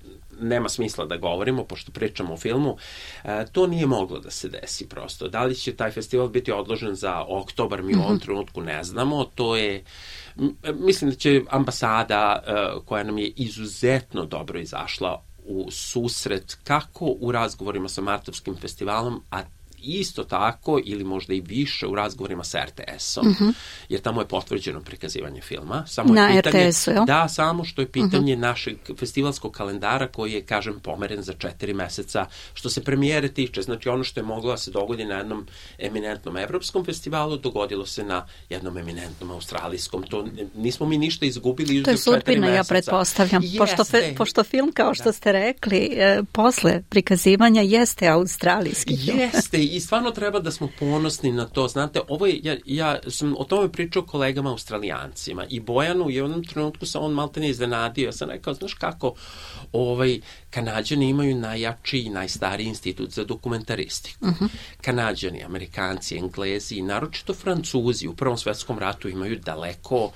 nema smisla da govorimo, pošto pričamo o filmu, to nije moglo da se desi prosto. Da li će taj festival biti odložen za oktobar, mi u ovom trenutku ne znamo. To je, mislim da će ambasada koja nam je izuzetno dobro izašla u susret kako u razgovorima sa Martovskim festivalom, a isto tako ili možda i više u razgovorima sa RTS-om, jer tamo je potvrđeno prikazivanje filma. Samo na je pitanje, RTS-u, jel? Da, samo što je pitanje našeg festivalskog kalendara koji je, kažem, pomeren za 4 meseca što se premijere tiče. Znači ono što je moglo da se dogodi na jednom eminentnom evropskom festivalu, dogodilo se na jednom eminentnom australijskom. To nismo mi ništa izgubili. To je sudbina, ja pretpostavljam. Pošto film, kao što ste rekli, posle prikazivanja jeste australijski film. Jeste, i stvarno treba da smo ponosni na to. Znate, ovo je, ja sam o tome pričao kolegama Australijancima i Bojanu je u jednom trenutku sam on maltene iznenadio. Ja sam rekao, znaš kako, Kanađani imaju najjači i najstariji institut za dokumentaristiku. Kanađani, Amerikanci, Englezi i naročito Francuzi u Prvom svetskom ratu imaju daleko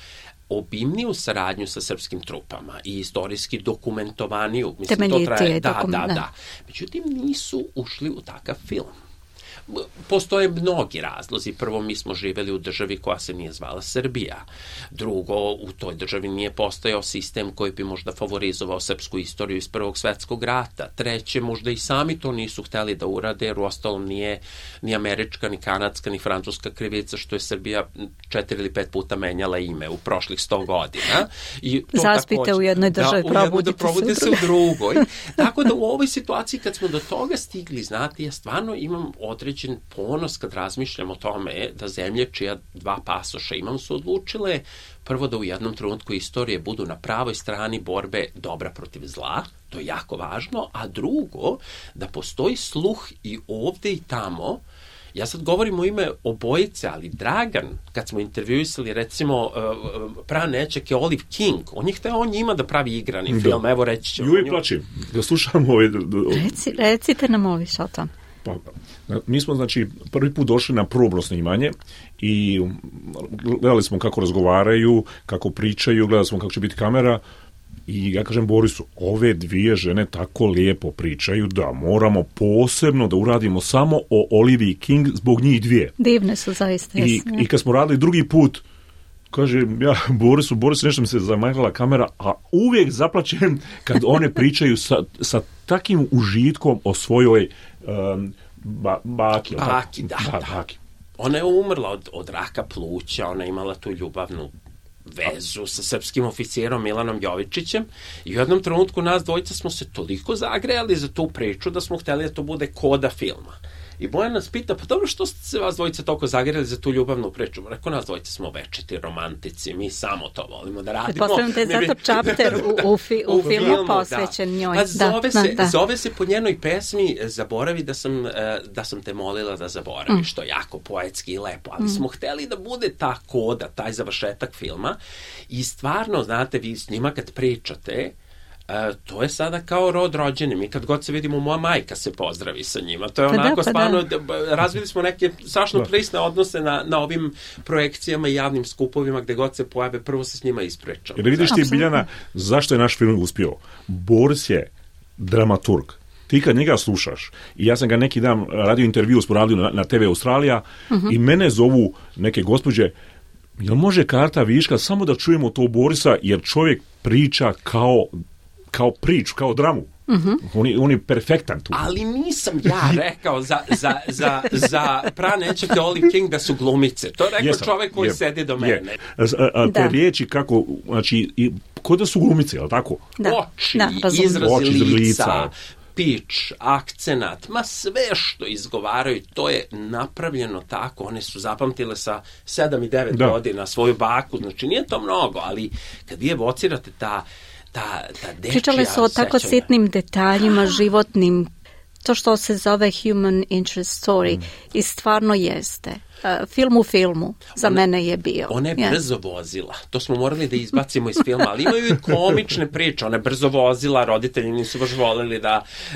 obimniju saradnju sa srpskim trupama i istorijski dokumentovaniju. Temeljitije Da. Međutim, nisu ušli u takav film. Postoje mnogi razlozi. Prvo, mi smo živeli u državi koja se nije zvala Srbija. Drugo, u toj državi nije postojao sistem koji bi možda favorizovao srpsku istoriju iz Prvog svetskog rata. Treće, možda i sami to nisu hteli da urade, jer uostalom nije ni američka, ni kanadska, ni francuska krivica što je Srbija 4 ili 5 puta menjala ime u prošlih 100 godina. I to zaspite takođe, u jednoj državi, probudite se u drugoj. Tako da u ovoj situaciji kad smo do toga stigli, znate, ja stvarno imam određen ponos kad razmišljam o tome da zemlje čija 2 pasoša imam su odlučile prvo da u jednom trenutku istorije budu na pravoj strani borbe dobra protiv zla, to je jako važno, a drugo, da postoji sluh i ovde i tamo. Ja sad govorim u ime obojice, ali Dragan, kad smo intervjuisali, recimo, pranećak je Olive King, on je hteo njima da pravi igrani film, evo reći ćemo. Uvijek plačim, da slušamo ovaj... Recite nam ovi što o tom. Pa, mi smo, znači, prvi put došli na probno snimanje i gledali smo kako razgovaraju, kako pričaju, gledali smo kako će biti kamera i ja kažem Borisu, ove 2 žene tako lijepo pričaju da moramo posebno da uradimo samo o Oliviji King zbog njih 2. Divne su zaista. I kad smo radili drugi put, kažem ja Borisu, nešto mi se zamajala kamera, a uvijek zaplačem kad one pričaju sa takim užitkom o svojoj baki. Baki. Ona je umrla od raka pluća, ona je imala tu ljubavnu vezu sa srpskim oficijerom Milanom Jovičićem i u jednom trenutku nas dvojica smo se toliko zagrejali za tu priču da smo hteli da to bude koda filma. I Bojan nas pita, pa dobro, što ste se vas dvojice toliko zagrejali za tu ljubavnu priču? Rekao, nas dvojice smo večiti romantici, mi samo to volimo da radimo. Pretpostavljam te zato čapter u filmu posvećen njoj. Pa zove se po njenoj pesmi Zaboravi da sam te molila da zaboraviš, što je jako poetski i lepo, ali smo hteli da bude ta koda, taj završetak filma i stvarno, znate, vi s njima kad pričate, to je sada kao rod rođeni. Mi kad god se vidimo, moja majka se pozdravi sa njima. To je onako stvarno, razvili smo neke strašno prisne odnose na ovim projekcijama i javnim skupovima gde god se pojave, prvo se s njima ispričamo. Jer vidiš ti, Biljana, zašto je naš film uspio? Boris je dramaturg. Ti kad njega slušaš, i ja sam ga neki dan radio intervju, smo radili na TV Australija, i mene zovu neke gospođe, jel može karta viška samo da čujemo to Borisa, jer čovjek priča kao priču, kao dramu. On je perfektan tu. Ali nisam ja rekao za pranećake Olive King da su glumice. To je rekao čovjek koji sedi do mene. Te riječi kako, znači, ko da su glumice, je li tako? Oči, izrazi lica, pič, akcenat, ma sve što izgovaraju, to je napravljeno tako. One su zapamtile sa 7 i 9 godina svoju baku, znači nije to mnogo, ali kad vi evocirate ta dečija pričale su o tako sitnim detaljima, životnim, to što se zove human interest story i stvarno jeste. Film u filmu za mene je bio. Ona je brzo vozila. To smo morali da izbacimo iz filma, ali imaju i komične priče. Ona je brzo vozila, roditelji nisu baš voleli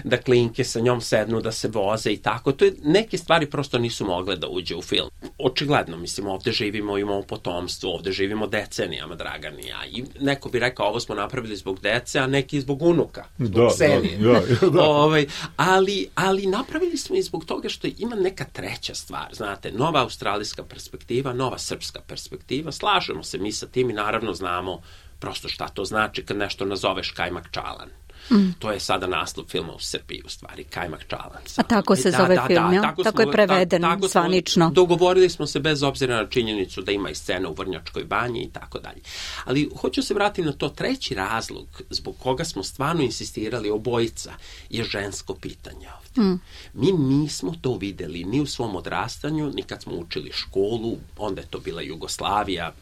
da klinke sa njom sednu, da se voze i tako. To je, neke stvari prosto nisu mogle da uđe u film. Očigledno, mislim, ovde živimo, imamo potomstvo, ovde živimo decenijama, Dragan i ja. I neko bi rekao, ovo smo napravili zbog dece, a neki zbog unuka. Zbog serije. Ali napravili smo i zbog toga što ima neka treća stvar, znate, nova australijska perspektiva, nova srpska perspektiva, slažemo se mi sa tim i naravno znamo prosto šta to znači kad nešto nazoveš kajmak čalan. To je sada naslov filma u Srbiji, u stvari, Kajmak čalac. A tako se zove film, ja? Tako je preveden zvanično. Dogovorili smo se bez obzira na činjenicu da ima i scena u Vrnjačkoj banji i tako dalje. Ali hoću se vratiti na to, treći razlog zbog koga smo stvarno insistirali obojica je žensko pitanje ovdje. Mi nismo to videli ni u svom odrastanju, ni kad smo učili školu, onda je to bila Jugoslavija,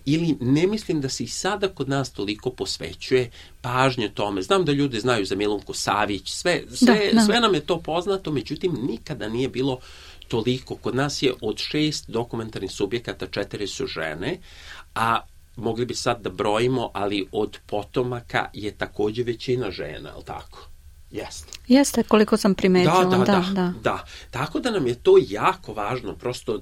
ili ne mislim da se i sada kod nas toliko posvećuje pažnje tome. Znam da ljudi znaju za Milunku Savić, sve nam je to poznato, međutim nikada nije bilo toliko. Kod nas je od 6 dokumentarnih subjekata 4 su žene, a mogli bi sad da brojimo, ali od potomaka je takođe većina žena, je li tako? Jeste, koliko sam primetila. Da. Tako da nam je to jako važno, prosto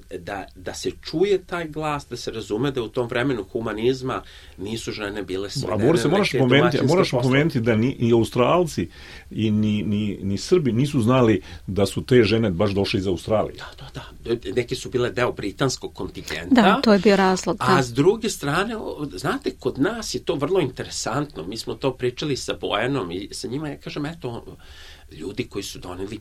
da se čuje taj glas, da se razume da u tom vremenu humanizma nisu žene bile svedene. Moraš pomenuti da ni Australci i ni Srbi nisu znali da su te žene baš došle iz Australije. Da. Neke su bile deo britanskog kontingenta. Da, to je bio razlog. A s druge strane, znate, kod nas je to vrlo interesantno. Mi smo to pričali sa Bojanom i sa njima, ja kažem, eto, ljudi koji su doneli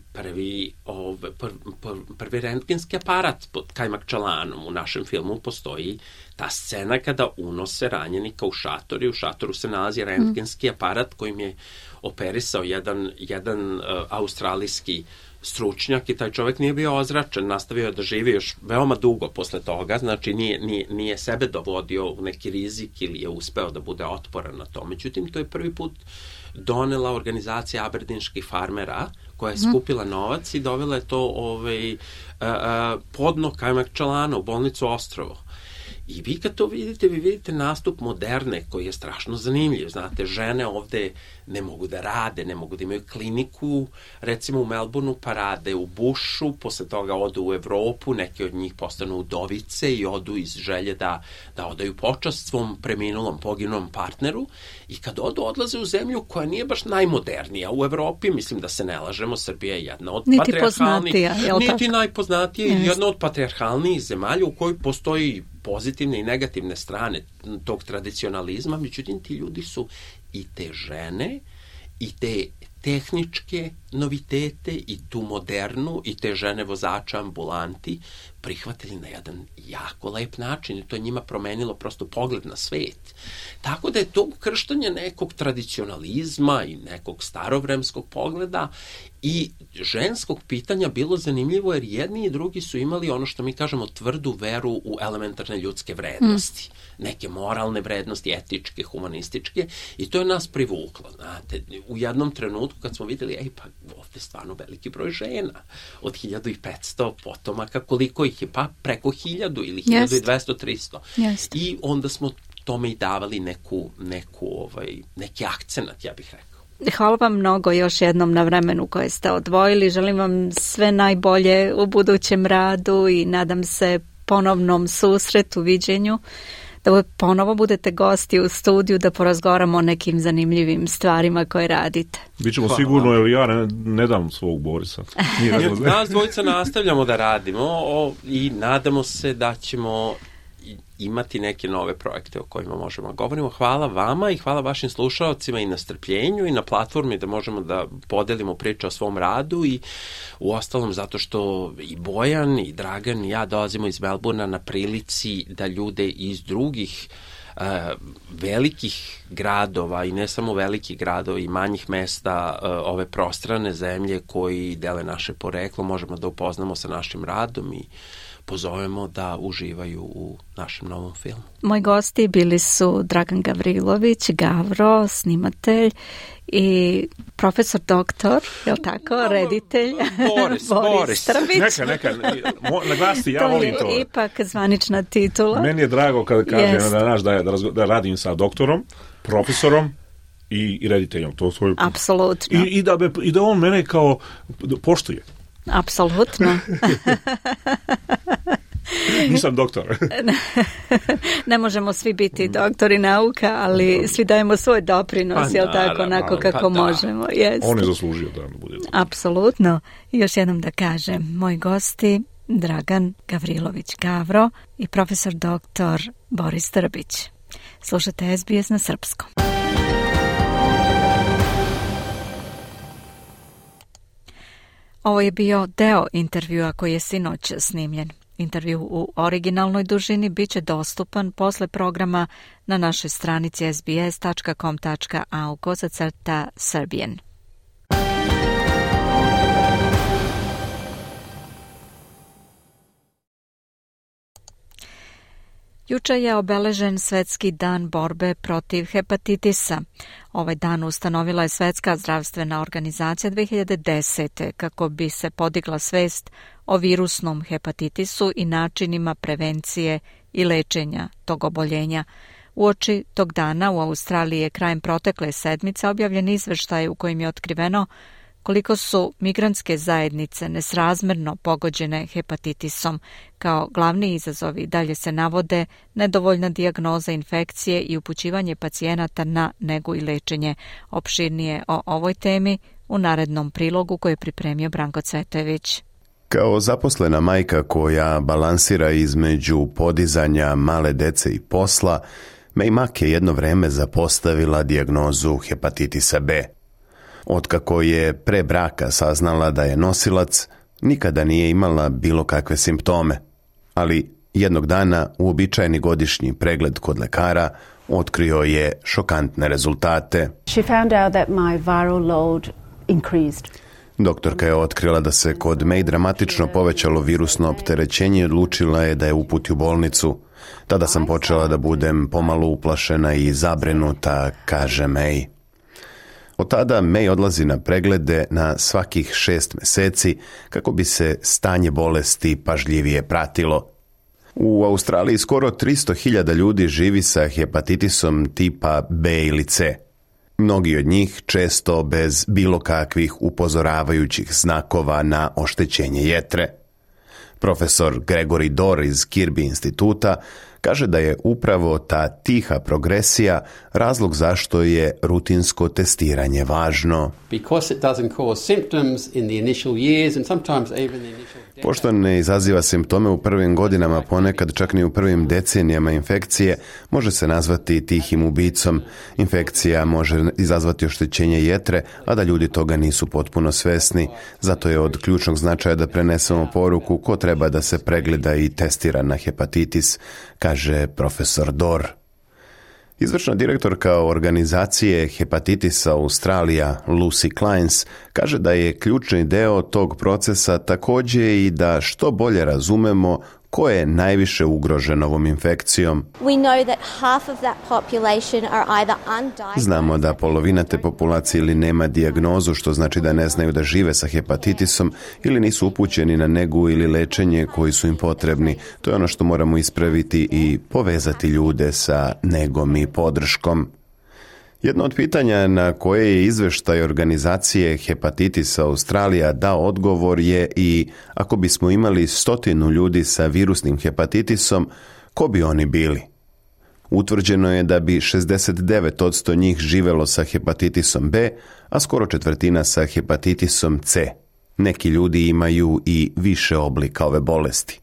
prvi rentgenski aparat pod Kajmak čalanom. U našem filmu postoji ta scena kada unose ranjenika u šator i u šatoru se nalazi rentgenski aparat kojim je operisao jedan australijski stručnjak i taj čovjek nije bio ozračen, nastavio je da živi još veoma dugo posle toga, znači nije sebe dovodio u neki rizik ili je uspeo da bude otporan na to. Međutim, to je prvi put donela organizacija aberdinskih farmera koja je skupila novac i dovela je to podno Kajmak čalana u bolnicu Ostrovo. I vi kad to vidite, vi vidite nastup moderne koji je strašno zanimljiv. Znate, žene ovde ne mogu da rade, ne mogu da imaju kliniku, recimo u Melbourneu, pa rade u Bushu, posle toga odu u Evropu, neki od njih postanu udovice i odu iz želje da odaju počast svom poginulom partneru i kad odlaze u zemlju koja nije baš najmodernija u Evropi, mislim da se ne lažemo, Srbija je jedna od niti najpoznatija, jedna od patrijarhalnijih zemalja u kojoj postoji pozitivne i negativne strane tog tradicionalizma, međutim ti ljudi su i te žene i te tehničke novitete i tu modernu i te žene vozača ambulanti prihvatili na jedan jako lep način i to je njima promenilo prosto pogled na svet. Tako da je to ukrštanje nekog tradicionalizma i nekog starovremskog pogleda i ženskog pitanja bilo zanimljivo jer jedni i drugi su imali ono što mi kažemo tvrdu veru u elementarne ljudske vrednosti. Neke moralne vrednosti, etičke, humanističke i to je nas privuklo. Znate, u jednom trenutku kad smo vidjeli, pa ovde stvarno veliki broj žena od 1500 potomaka, koliko ih je? Pa preko 1000 ili 1200, 300. I onda smo tome i davali neki akcenat, ja bih rekao. Hvala vam mnogo još jednom na vremenu koje ste odvojili. Želim vam sve najbolje u budućem radu i nadam se ponovnom susretu, viđenju, da ponovo budete gosti u studiju da porazgovaramo o nekim zanimljivim stvarima koje radite. Bićemo sigurno, jer ja ne dam svog Borisa. Nas dvojica nastavljamo da radimo i nadamo se da ćemo imati neke nove projekte o kojima možemo govorimo. Hvala vama i hvala vašim slušalcima i na strpljenju i na platformi da možemo da podelimo priče o svom radu i u ostalom zato što i Bojan i Dragan i ja dolazimo iz Melbournea na prilici da ljude iz drugih velikih gradova i ne samo velikih gradova i manjih mesta ove prostrane zemlje koji dele naše poreklo možemo da upoznamo sa našim radom i pozovemo da uživaju u našem novom filmu. Moji gosti bili su Dragan Gavrilović, Gavro, snimatelj i profesor doktor, je li tako, reditelj? Boris Trbić. Neka, naglasi, ja volim to. To je ipak zvanična titula. Meni je drago kada kažem da radim sa doktorom, profesorom i rediteljom. Apsolutno. I da on mene kao poštuje. Apsolutno. Nisam doktor. Ne možemo svi biti doktori nauka, ali svi dajemo svoj doprinos, jel tako, onako kako možemo. On je zaslužio da bude. Apsolutno. Još jednom da kažem, moji gosti Dragan Gavrilović Gavro i profesor doktor Boris Trbić. Slušate SBS na srpskom. Ovo je bio deo intervjua koji je sinoć snimljen. Intervju u originalnoj dužini bit će dostupan posle programa na našoj stranici sbs.com.au/Serbian. Juče je obeležen Svetski dan borbe protiv hepatitisa. Ovaj dan ustanovila je Svetska zdravstvena organizacija 2010. kako bi se podigla svest o virusnom hepatitisu i načinima prevencije i lečenja tog oboljenja. Uoči tog dana u Australiji je krajem protekle sedmice objavljen izveštaj u kojem je otkriveno koliko su migrantske zajednice nesrazmerno pogođene hepatitisom. Kao glavni izazovi dalje se navode nedovoljna dijagnoza infekcije i upućivanje pacijenata na negu i lečenje. Opširnije o ovoj temi u narednom prilogu koji je pripremio Branko Cvetojević. Kao zaposlena majka koja balansira između podizanja male dece i posla, May Mack je jedno vreme zapostavila dijagnozu hepatitisa B. Otkako je pre braka saznala da je nosilac, nikada nije imala bilo kakve simptome, ali jednog dana uobičajeni godišnji pregled kod lekara otkrio je šokantne rezultate. She found out that my viral load increased. Doktorka je otkrila da se kod May dramatično povećalo virusno opterećenje i odlučila je da je uputi u bolnicu. Tada sam počela da budem pomalo uplašena i zabrinuta, kaže May. Od tada May odlazi na preglede na svakih 6 meseci kako bi se stanje bolesti pažljivije pratilo. U Australiji skoro 300.000 ljudi živi sa hepatitisom tipa B ili C. Mnogi od njih često bez bilo kakvih upozoravajućih znakova na oštećenje jetre. Profesor Gregory Dorr iz Kirby instituta kaže da je upravo ta tiha progresija razlog zašto je rutinsko testiranje važno. Pošto ne izaziva simptome u prvim godinama, ponekad čak ni u prvim decenijama infekcije, može se nazvati tihim ubicom. Infekcija može izazvati oštećenje jetre, a da ljudi toga nisu potpuno svesni. Zato je od ključnog značaja da prenesemo poruku ko treba da se pregleda i testira na hepatitis, kaže profesor Dorr. Izvršna direktorka organizacije Hepatitisa Australija, Lucy Clines, kaže da je ključni deo tog procesa također i da što bolje razumemo ko je najviše ugrožen ovom infekcijom. Znamo da polovina te populacije ili nema dijagnozu, što znači da ne znaju da žive sa hepatitisom, ili nisu upućeni na negu ili lečenje koji su im potrebni. To je ono što moramo ispraviti i povezati ljude sa negom i podrškom. Jedno od pitanja na koje je izveštaj organizacije Hepatitisa Australija dao odgovor je i ako bismo imali 100 ljudi sa virusnim hepatitisom, ko bi oni bili? Utvrđeno je da bi 69% njih živelo sa hepatitisom B, a skoro četvrtina sa hepatitisom C. Neki ljudi imaju i više oblika ove bolesti.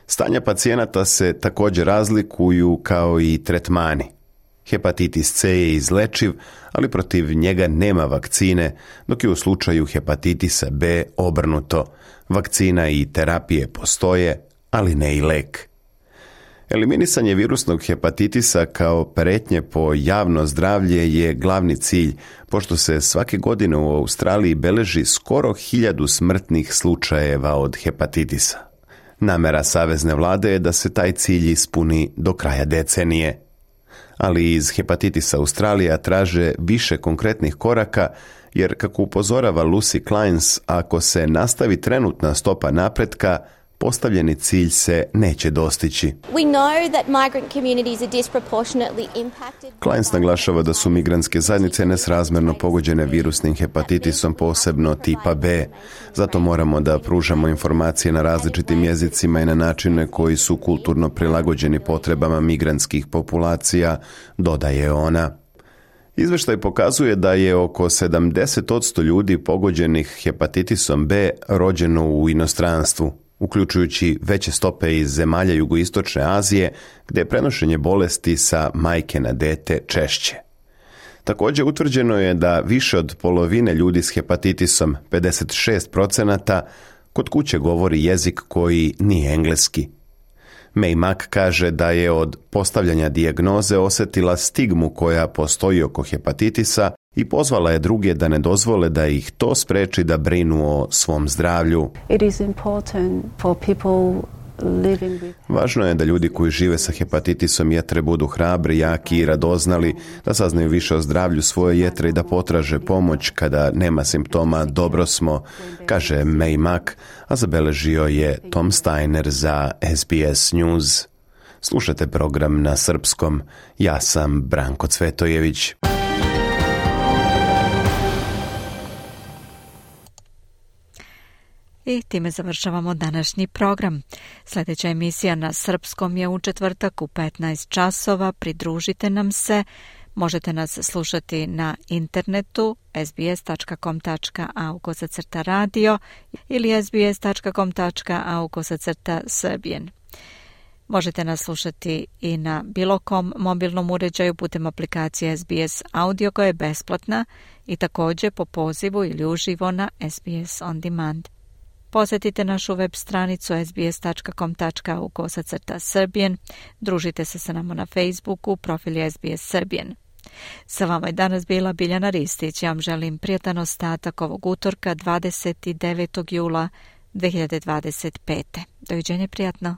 Stanja pacijenata se također razlikuju kao i tretmani. Hepatitis C je izlečiv, ali protiv njega nema vakcine, dok je u slučaju hepatitisa B obrnuto. Vakcina i terapije postoje, ali ne i lek. Eliminisanje virusnog hepatitisa kao prijetnje po javno zdravlje je glavni cilj, pošto se svake godine u Australiji beleži skoro 1000 smrtnih slučajeva od hepatitisa. Namera savezne vlade je da se taj cilj ispuni do kraja decenije. Ali iz Hepatitisa Australija traže više konkretnih koraka, jer kako upozorava Lucy Clines, ako se nastavi trenutna stopa napretka, postavljeni cilj se neće dostići. Clines naglašava da su migrantske zajednice nesrazmjerno pogođene virusnim hepatitisom, posebno tipa B. Zato moramo da pružamo informacije na različitim jezicima i na načine koji su kulturno prilagođeni potrebama migrantskih populacija, dodaje ona. Izveštaj pokazuje da je oko 70% ljudi pogođenih hepatitisom B rođeno u inostranstvu, uključujući veće stope iz zemalja jugoistočne Azije, gdje je prenošenje bolesti sa majke na dete češće. Također utvrđeno je da više od polovine ljudi s hepatitisom, 56%, kod kuće govori jezik koji nije engleski. May Mack kaže da je od postavljanja dijagnoze osjetila stigmu koja postoji oko hepatitisa i pozvala je druge da ne dozvole da ih to spreči da brinu o svom zdravlju. It is important for people living with... Važno je da ljudi koji žive sa hepatitisom jetre budu hrabri, jaki i radoznali, da saznaju više o zdravlju svoje jetre i da potraže pomoć kada nema simptoma. Dobro smo, kaže May Mack, a zabeležio je Tom Steiner za SBS News. Slušate program na srpskom. Ja sam Branko Cvetojević. I time završavamo današnji program. Sljedeća emisija na srpskom je u četvrtak u 15 časova. Pridružite nam se. Možete nas slušati na internetu sbs.com.au/radio ili sbs.com.au/serbian. Možete nas slušati i na bilo kom mobilnom uređaju putem aplikacije SBS Audio koja je besplatna i također po pozivu ili uživo na SBS On Demand. Posjetite našu web stranicu sbs.com.au/serbian. Družite se sa nama na Facebooku, profil SBS Serbian. Sa vama je danas bila Biljana Ristić. Ja vam želim prijatan ostatak ovog utorka 29. jula 2025. Doviđenje, prijatno.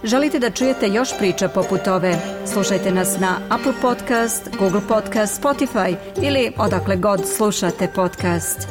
Želite da čujete još priča poput ove? Slušajte nas na Apple Podcast, Google Podcast, Spotify ili odakle god slušate podcast.